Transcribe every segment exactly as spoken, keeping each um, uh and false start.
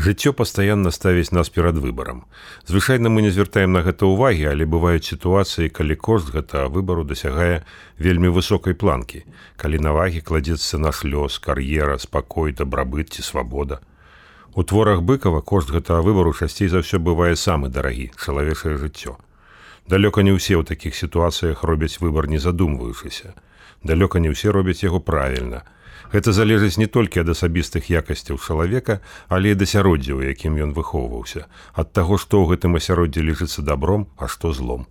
Жыццё пастаянна ставіць нас перад выбарам. Звычайна мы не звяртаем на гэта ўвагі, але бываюць сітуацыі, калі кошт гэтага выбару дасягае вельмі высокай планкі, калі на вагі кладзецца наш лёс, кар'ера, спакой, дабрабыт ці свабода. У творах Быкова кошт гэтага выбару часцей за ўсё бывае самы дарагі чалавечае жыццё. Далёка не ўсе ў такіх сітуацыях робяць выбар не задумваючыся. Далёка не ўсе робяць яго правільна. Гэта залежыць не толькі ад асабістых якасцяў чалавека, але і ад асяроддзя, у якім ён выхоўваўся, ад таго, што ў гэтым асяроддзі лічыцца добром, а што злом.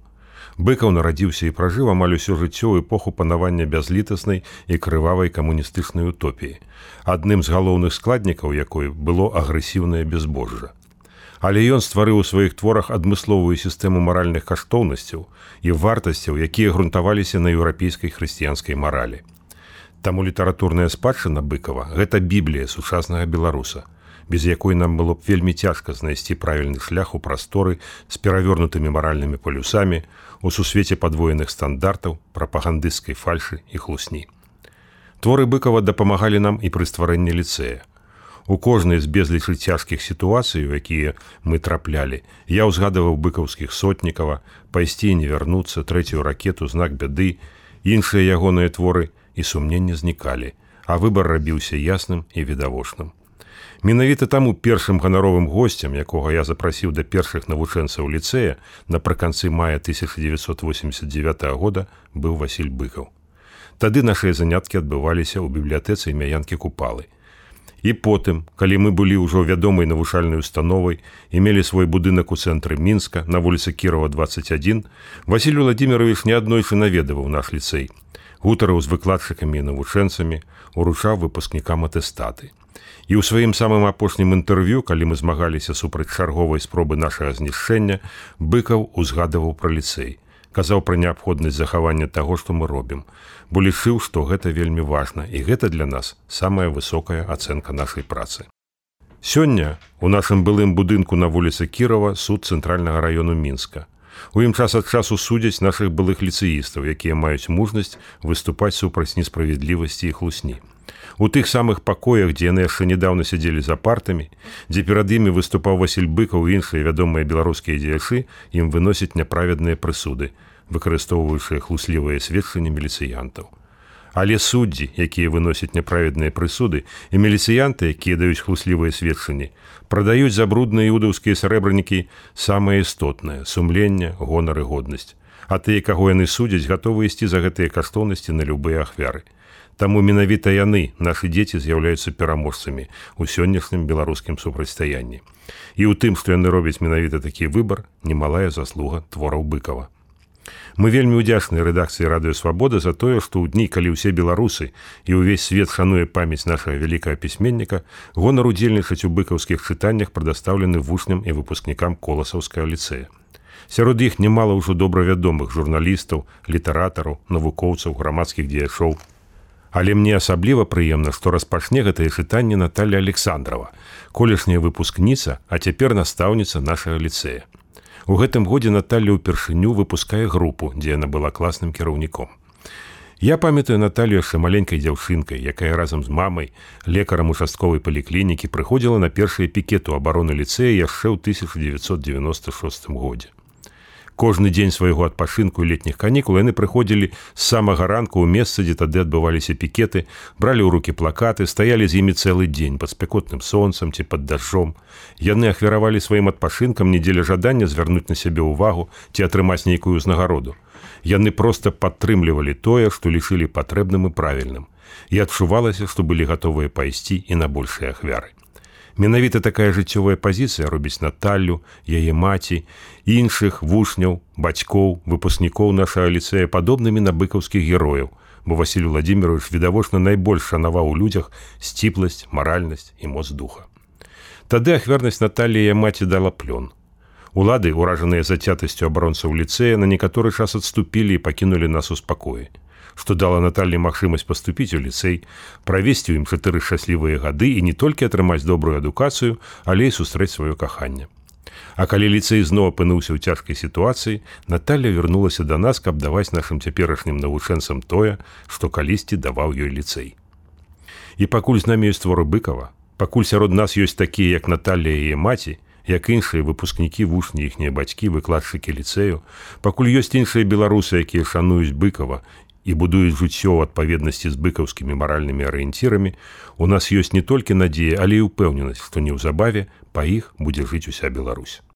Быкаў нарадзіўся і пражыў амаль усё жыццё ў эпоху панавання бязлітаснай і крывавай камуністычнай утопіі, адным з галоўных складнікаў якой было агрэсіўнае бязбожжа. Але ён стварыў у сваіх творах адмысловую сістэму маральных каштоўнасцяў і вартасцяў, якія грунтаваліся на еўрапейскай хрысціянскай маралі. Таму літаратурная спадчына Быкава – гэта біблія сучаснага беларуса, без якой нам было б вельмі цяжка знайсці правільны шлях у прасторы з перавернутымі маральнымі палюсамі, у сусвеце падвоеных стандартаў, прапагандысцкай фальшы і хлусні. Творы Быкава дапамагалі нам і пры стварэнні ліцэя. У кожнай з безлічы цяжкіх сітуацый, у якія мы траплялі, я ўзгадаваў быкаўскіх Сотнікава, «Пайсці і не вярнуцца», «Трэцюю ракету», «Знак бяды», іншыя ягоныя творы, і сумненні знікалі, а выбар рабіўся ясным і відавочным. Менавіта таму першым ганаровым госцем, якога я запрасіў да першых навучэнцаў ліцэя напрыканцы мая тысяча дзевяцьсот восемьдесят девятого года, быў Васіль Быкаў. Тады нашыя заняткі адбываліся ў бібліятэцы імя Янкі Купалы. І потым, калі мы былі ўжо вядомай навучальнай установай і мелі свой будынак у цэнтры Мінска на вуліцы Кірова двадцать один, Васіль Владимирович неаднойчы наведаваў наш ліцэй, гутарыў з выкладчыкамі і навучэнцамі, уручаў выпускнікам атэстаты. І ў сваім самым апошнім інтэрв'ю, калі мы змагаліся супраць чарговай спробы нашага знішчэння, Быкаў узгадаваў пра ліцэй, казаў пра неабходнасць захавання таго, што мы робім, бо лічыў, што гэта вельмі важна, і гэта для нас самая высокая ацэнка нашай працы. Сёння у нашым былым будынку на вуліцы Кірова суд цэнтральнага раёну Мінска. У ім час ад часу судзяць нашых былых ліцэістаў, якія маюць мужнасць выступаць супраць несправядлівасці і хлусні. У тых самых пакоях, дзе яны яшчэ нядаўна сядзелі за партамі, дзе перад імі выступаў Васіль Быкаў і іншыя вядомыя беларускія дзеячы, ім выносяць няправедныя прысуды, выкарыстоўваючыя хлуслівыя сведчанні міліцыянтаў. Але суддзі, якія выносяць няправедныя прысуды, і міліцыянты, якія даюць хлуслівыя сведчанні, прадаюць за брудныя іудаўскія сарэбранікі самае істотнае – сумленне, гонар і годнасць. А тыя, каго яны судзяць, гатовы ісці за гэтыя каштоўнасці на любыя ахвяры. Таму менавіта яны, нашы дзеці, з'яўляюцца пераможцамі ў сённяшнім беларускім супрацьстаянні. І ў тым, што яны робяць менавіта такі выбар, немалая заслуга твораў Быкава. Мы вельмі ўдзячныя рэдакцыі «Радыё Свабода» за тое, што ў дні, калі ўсе беларусы і ўвесь свет шануе памяць нашага вялікага пісьменніка, гонар удзельнічаць у быкаўскіх чытаннях прадастаўлены вучням і выпускнікам Коласаўскага ліцэя. Сярод іх немала ўжо добра вядомых журналістаў, літаратараў, навукоўцаў, грамадскіх дзеячоў. Але мне асабліва прыемна, што распачне гэтае чытанне Наталья Александрова, колішняя выпускніца, а цяпер настаўніца нашага ліцэя. У гэтым годзе Наталья ўпершыню выпускае групу, дзе яна была класным кіраўніком. Я памятаю Наталью яшчэ маленькай дзяўчынкай, якая разам з мамай, лекарам участковай паліклінікі, прыходзіла на першыя пікеты абароны ліцэя яшчэ ў тысяча дзевяцьсот девяносто шостым годзе. Кожны дзень свайго адпачынку і летніх канікул яны прыходзілі з самага ранку ў месца, дзе тады адбываліся пікеты, бралі ў рукі плакаты, стаялі з імі цэлы дзень пад спякотным сонцам ці пад дажджом. Яны ахвяравалі сваім адпачынкам не дзеля жадання звярнуць на сябе ўвагу ці атрымаць нейкую ўзнагароду. Яны проста падтрымлівалі тое, што лічылі патрэбным і правільным. І адчувалася, што былі гатовыя пайсці і на большыя ахвяры. Менавіта такая жыццёвая пазіцыя робіць Наталлю, яе маці, іншых вучняў, бацькоў, выпускнікоў нашага ліцэя падобнымі на быкаўскіх герояў, бо Васіль Владимирович відавочна найбольш шанаваў у людзях сціпласць, маральнасць і моц духа. Тады ахвярнасць Наталлі яе маці дала плён. Улады, уражаныя зацятасцю абаронцаў ліцэя, на некаторы час адступілі і пакінулі нас у спакоі, што дала Наталлі магчымасць паступіць у ліцэй, правесці ў ім чатыры шчаслівыя гады і не толькі атрымаць добрую адукацыю, але і сустрэць сваё каханне. А калі ліцэй зноў апынуўся ў цяжкай сітуацыі, Наталля вярнулася да нас, каб даваць нашым цяперашнім навучэнцам тое, што калісьці даваў ёй ліцэй. І пакуль з намі ёсць творы Быкава, Пакуль сярод нас ёсць такія, як Наталля і яе маці, як іншыя выпускнікі вучні, іхнія бацькі, выкладчыкі ліцэю, пакуль ёсць іншыя беларусы, якія шануюць Быкова і будуюць жыццё ў адпаведнасці з быкаўскімі маральнымі арыенцірамі, у нас ёсць не толькі надзея, але і ўпэўненасць, што неўзабаве па іх будзе жыць уся Беларусь.